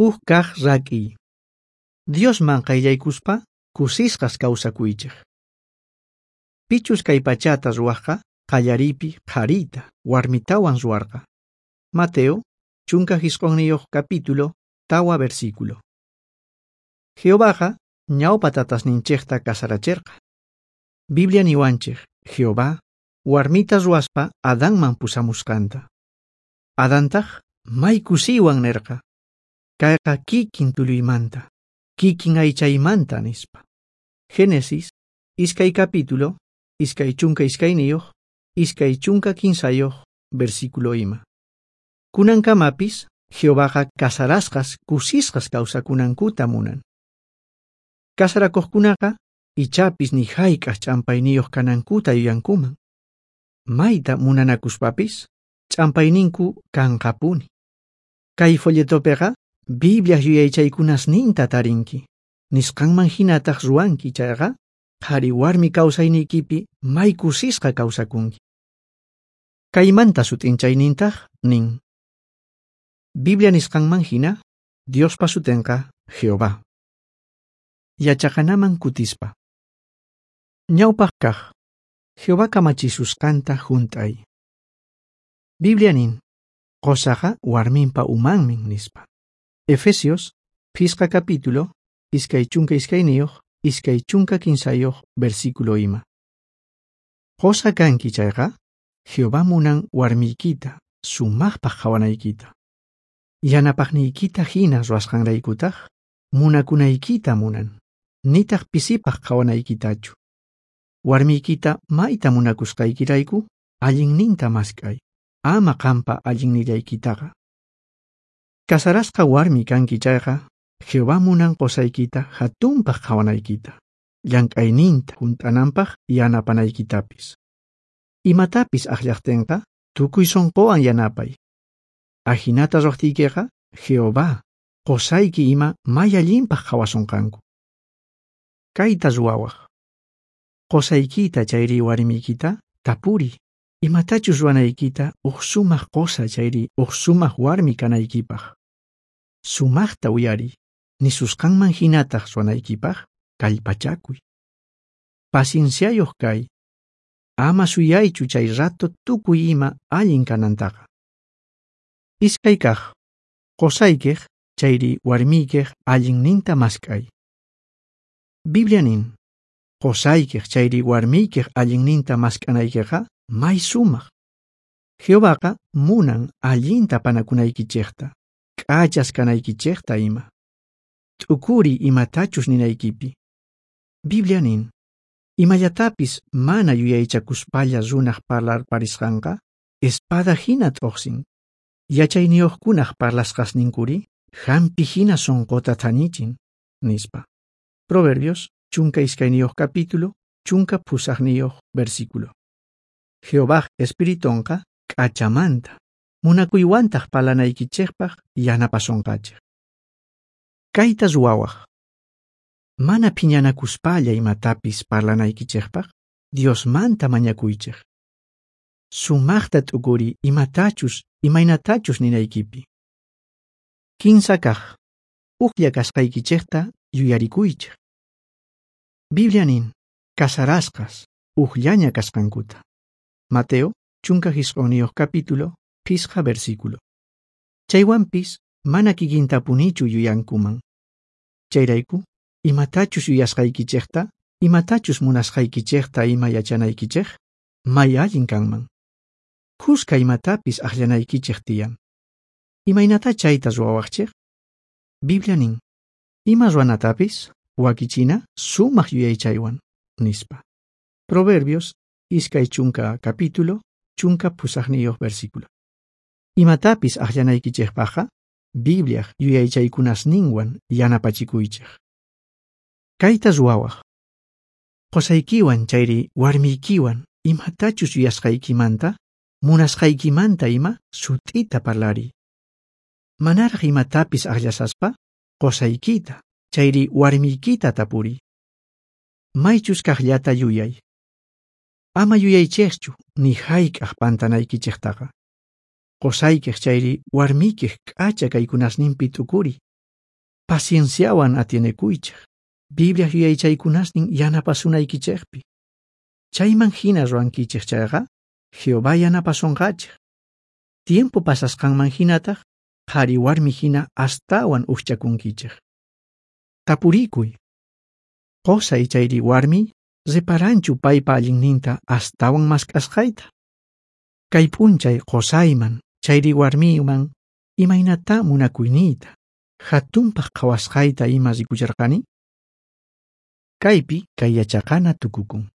Uj kaj rak'iy. Diosman qayllaykuspa kusisqas kawsakuychej. Pichus kay pachata ruwajqa qallariypi qharita warmitawan ruwarqa. Mateo, 19 capítulo, 4 versículo. Jehovaqa ñawpa tatasninchejta kasaracherqa. Biblia niwanchej, Jehová warmita ruwaspa Adanman pusamusqanta. Adantaj may kusiywan nerqa: Kayqa kikin tulluymanta, kikin aychaymanta, nispa. Génesis, 2 capítulo, 22, 23, versículo ima. Kunankamapis, Jehovaqa kasarasqas kusisqas kawsakunankuta munan. Kasarakuqkunaqa ichapis ni hayk'aq ch'ampayniyuq kanankuta yuyankuman. Mayta munanakuspapis, ch'ampayninku kanqapuni. Kay folletopiqa Bibliaj yuyaychaykunasninta tarinki. Nisqanman hinataq ruwanki chayqa, qhari warmi kawsayniykipi may kusisqa kawsakunki. Kaymanta sut'inchaynintaq nin: Biblia nisqanman hina, Diospa sutenqa Jehová. Yachaqanaman kutispa. Ñawpaq kaq, Jehová kamachisusqanta junt'ay. Biblia nin, qosaqa warminpa umanmin, nispa. Efesios, 5 capítulo, 22, 23 versículo ima. Qosa kanki chayqa, Jehová munan warmiykita, sumaqpaq qhawanaykita. Yanapaqniykita hina ruwasqanraykutaq, munakunaykita munan, nitaq pisipaq qhawanaykitachu. Warmiykita mayta munakusqaykirayku, allinninta mask'ay, ama qampa allinnillaykitaqa. Kasarasqa warmi kanki chayqa, Jehová munan qosaykita hatunpaq qhawanaykita, llank'ayninta hunt'ananpaq yanapanaykitapis. Imatapis akllaqtinqa, tukuy sunquwan yanapay. Ajinata ruwaqtiykiqa, Jehová, qosayki ima may allinpaq qhawasunqanku. Kayta ruwawaq. Qosaykita chayri warmiykita tapuri, imatachus ruwanaykita uj sumaq qosa chayri uj sumaq warmi kanaykipaq. Sumaqta uyariy, nisusqanman hinataq ruwanaykipaq kallpachakuy. Pacienciayuq kay, ama suyaychu chay rato tukuy ima allin kanantaqa. Iskay kaq, qosaykiq chayri warmiykiq allinninta mask'ay. Biblia nin, qosaykiq chayri warmiykiq allinninta mask'anaykiqa may sumaq. Jehovaqa munan allinta panakunaykichejta, k'achas kanaykichejta ima. T'ukuri imatachus ninaykipi. Biblia nin, imallatapis mana yuyaychakuspalla runaj parlarparisqanqa, espada hina t'uqsin. Yachayniyuqkunaj parlasqasninkuri, hampi hina sunquta thañichin, nispa. Proverbios, 12 capítulo, 18 versículo. Jehovaj espiritonqa k'achamanta, munakuywantaq parlanaykichejpaq yanapasonqachej. Kayta ruwawaq. Mana phiñanakuspalla imatapis parlanaykichejpaq, Diosmanta mañakuychej. Sumaqta t'ukuri imatachus, imaynatachus ninaykipi. 15 kaq, ujlla kasqaykichejta yuyarikuychej. Biblia nin, kasarasqas, ujllaña kasqankuta. Mateo, 19 capítulo, 5 versículo. Chaywanpis, mana kikintapunichu yuyankuman. Chayrayku, imatachus yuyasqaykichejta, imatachus munasqaykichejta ima yachanaykichej, may allin kanman. Khuska imatapis akllanaykichej tiyan. Imaynata chayta ruwawaqchej? Biblia nin, ima ruwanatapis wakichina sumaq yuyaychaywan, nispa. Proverbios, 20 capítulo, 18 versículo. Imatapis akllanaykichejpaqqa, Bibliaj yuyaychaykunasninwan yanapachikuychej. Kayta ruwawaq. Qosaykiwan chayri warmiykiwan imatachus yuyasqaykimanta, munasqaykimanta ima sut'ita parlariy. Manaraj imatapis akllasaspa, qosaykita chayri warmiykita tapuriy. Maychus kaqllata yuyay. Ama yuyaychejchu ni hayk'aq pantanaykichejtaqa. Qosaykiq chayri warmiykiq k'acha kaykunasninpi t'ukuriy. Pacienciawan atienekuychej, Bibliaj yuyaychaykunasnin yanapasunaykichejpi. Chayman jina ruwankichej chayqa, Jehová yanapasonqachej. Tiempo pasasqanman jinataj, qhari warmi jina astawan ujchakunkichej. Tapurikuy. Qosay chayri warmi reparanchu paypa allinninta astawan mask'asqayta? Kay p'unchay qosayman chayri warmiyman imaynatá munakuyniyta, jatunpaj qhawasqayta ima rikucherqani? Kaypi kay yachaqana tukukun.